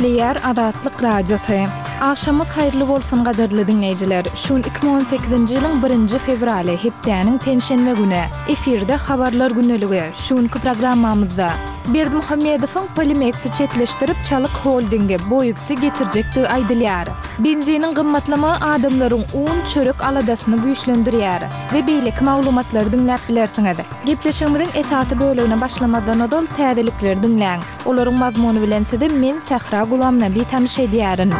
Gepleýär Azatlyk Radiosy. Agşamyňyz haýyrly bolsun gadyrly diňleýjiler. Şu gün 2018-nji ýylyň birinji fewraly, hepdäniň penşenbe güni. Efirde Habarlar gündeligi. Şu günki programmamyzda. Berdimuhamedowyň Polimeksi çetleşdirip Çalyk holdingi, Boýuksi getirjekdigi aýdylýar. Benziniň gymmatlamagy adamlaryň un, çörek aladasyny güýçlendirýär. We beýleki maglumatlary diňläp bilersiňiz. Gepleşigimiziň esasy bölegine başlamazdan ozal täzelikleri diňläň. Olaryň mazmuny bilen sizi men Sähra Gulamnabi tanyş edýärin.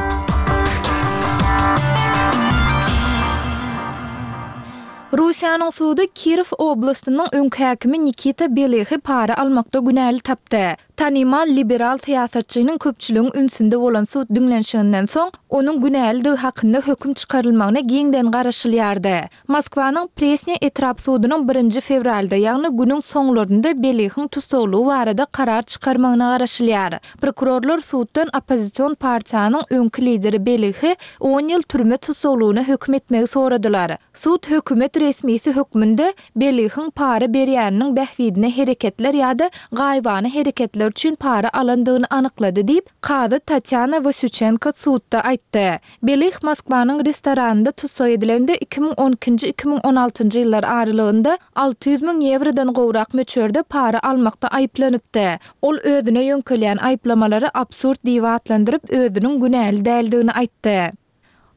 Russiýanyň sudy Kirow oblastynyň öňki häkimi Nikita Belyhy para almakda günäli tapdy. Tanymal liberal syýasatçynyň köpçüligiň ünsünde bolan sud diňlenişiginden soň, onuň günälidigi hakynda höküm çykarylmagyna giňden garaşylýardy. Moskwanyň Presnýa etrap sudunyň birinji fewralda, ýagny günüň soňlarynda Belyhyň tussaglygy barada karar çykarmagyna garaşylýar. Prokurorlar suddan oppozision partiýanyň öňki lideri Belyhy on ýyl türme tussaglygyna höküm etmegi soradylar. Sud hökümet resmisi hökmünde Belyhyň para berýäniniň bähbidine hereketler ýa-da gaýybana hereketler üçin para alandygyny anyklady diýip, kazy Tatýana Wasýuçenko sudda aýtdy. Belyh Moskwanyň restoranynda tussag edilende 2012-nji, 2016-njy ýyllar aralygynda 600 müň ýewrodan gowrak möçberde para almakda aýyplanypdy. Ol özüne ýöňkelýän aýyplamalary absurd diýip atlandyryp, özüniň günäli däldigini aýtdy.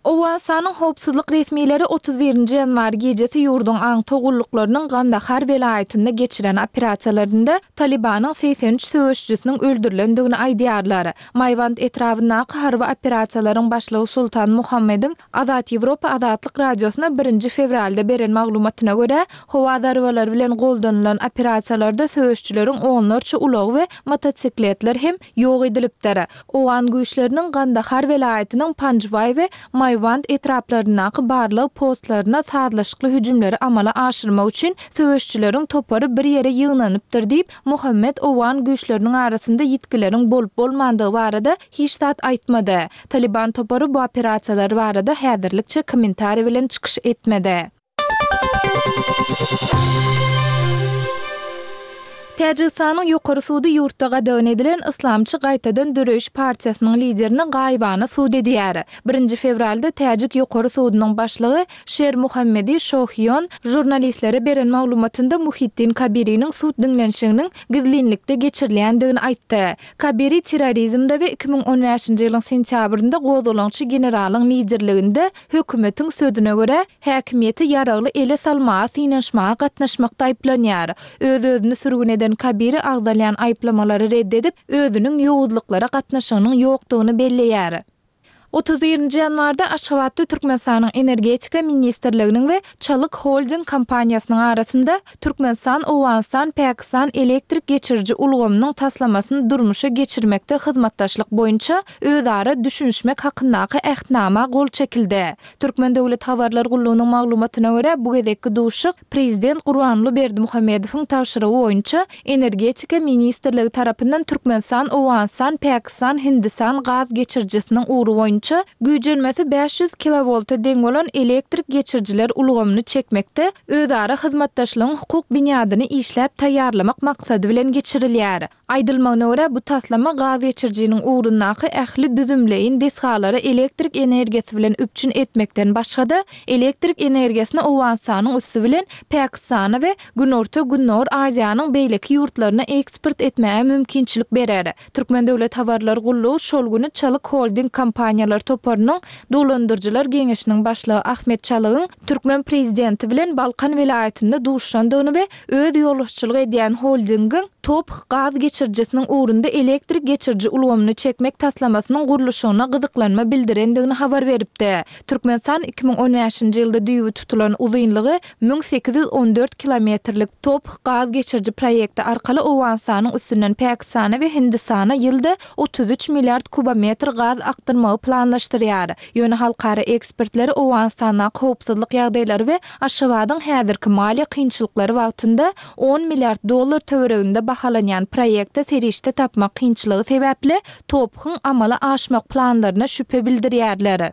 Owganystanyň howpsuzlyk resmileri 31 nji ýanwar gijesi ýurduň aňtaw gulluklarynyň Gandahar welaýatynda geçiren operasiýalarynda Talybanyň 83 söweşijisiniň öldürilendigini aýdýarlar. Maýwand etrabyndaky harby operasiýalaryň başlygy Sultan Muhammediň Azat Ýewropa Azatlyk Radiosyna birinji fewralda beren maglumatyna görä, howa zarbalary bilen goldanylan operasiýalarda söweşijileriň onlarça ulagy we motosikletler hem ýok edilipdir. Owgan güýçleriniň Gandahar welaýatynyň Panjwaý we Maýwand etraplaryndaky barlag postlaryna sazlaşykly hüjümleri amala aşyrmak üçin söweşijileriň topary bir ýere ýygnanypdyr diýip, Muhammet owgan güýçleriniň arasynda ýitgileriň bolup-bolmandygy barada hiç zat aýtmady. Talyban topary bu operasiýalar barada häzirlikçe kommentariý bilen çykyş etmedi. Täjigistanyň Ýokary sudy ýurtda gadagan edilen Yslamçy gaýtadan döreýiş partiýasynyň liderini gaýybana sud edýär. Birinji fewralda täjik Ýokary sudunyň başlygy Şer Muhammedi Şohiýon žurnalistlere beren maglumatynda Muhiddin Kabiriniň sud diňlenişiginiň gizlinlikde geçirilýändigini aýtdy. Kabiri terrorizmde we 2015-nji ýylyň sentýabrynda gozgalaňçy generalyň liderliginde Hökümetiň sözüne görä, häkimiýeti ýaragly ele salmaga synanyşmaga gatnaşmakda aýyplanýar. Öz-özüni sürgün eden Kabiri agzalýan aýyplamalary red edip, özüniň ýowuzlyklara gatnaşygynyň ýokdugyny belleýär. 31-nji ýanwarda Aşgabatda Türkmenistanyň Energetika ministrliginiň we Çalyk Holding kompaniýasynyň arasynda Türkmenistan, Owganystan, Pakistan elektrik geçiriji ulgamynyň taslamasyny durmuşa geçirmekde hyzmatdaşlyk boýunça özara düşünişmek hakyndaky Ähtnama gol çekildi. Türkmen döwlet habarlar gullugynyň maglumatyna görä, bu gezekki duşuşyk Prezident Gurbanguly Berdimuhamedowyň tabşyrygy boýunça Energetika ministrligi tarapyndan Türkmenistan, Owganystan, Pakistan, Hindistan gaz geçirijisiniň ugry boýunça güýjenmesi 500 kilowolta deň bolan elektrik geçirijiler ulgamyny çekmekde özara hyzmatdaşlygyň hukuk binýadyny işläp taýýarlamak maksady bilen geçirilýär. Aýdylmagyna görä, bu taslama gaz geçirijiniň ugrundaky ähli düzümleýin desgalary elektrik energiýasy bilen üpjün etmekden başga-da, elektrik energiýasyny Owganystanyň üsti bilen Pakistana we Günorta-Gündogar Aziýanyň beýleki ýurtlaryna eksport etmäge mümkinçilik berer. Türkmen döwlet habarlar gullugy şol güni Çalyk Holding kompaniýalar toparynyň Dolandyryjylar geňeşiniň başlygy Ahmet Çalygyň türkmen prezidenti bilen Balkan welaýatynda duşuşandygyny we öz ýolbaşçylyk edýän holdingiň TOPH gaz geçirijisiniň ugrunda elektrik geçiriji ulgamyny çekmek taslamasynyň gurluşygyna gyzyklanma bildirendigini habar beripdi. Türkmenistan 2015-nji ýylda düýbi tutulan uzynlygy 1814 kilometrlik TOPH gaz geçiriji proýekti arkaly Owganystanyň üstünden Pakistana we Hindistana ýylda 33 milliard kubometr gaz akdyrmagy planlaşdyrýar. Ýöne halkara ekspertleri Owganystandaky howpsuzlyk ýagdaýlary we Aşgabadyň häzirki maliýe kynçylyklary wagtynda on milliard dollar töwereginde bahalanýan proýekte serişde tapmak kynçylygy sebäpli TOPH-yň amala aşmak planlaryna şübhe bildirýärler.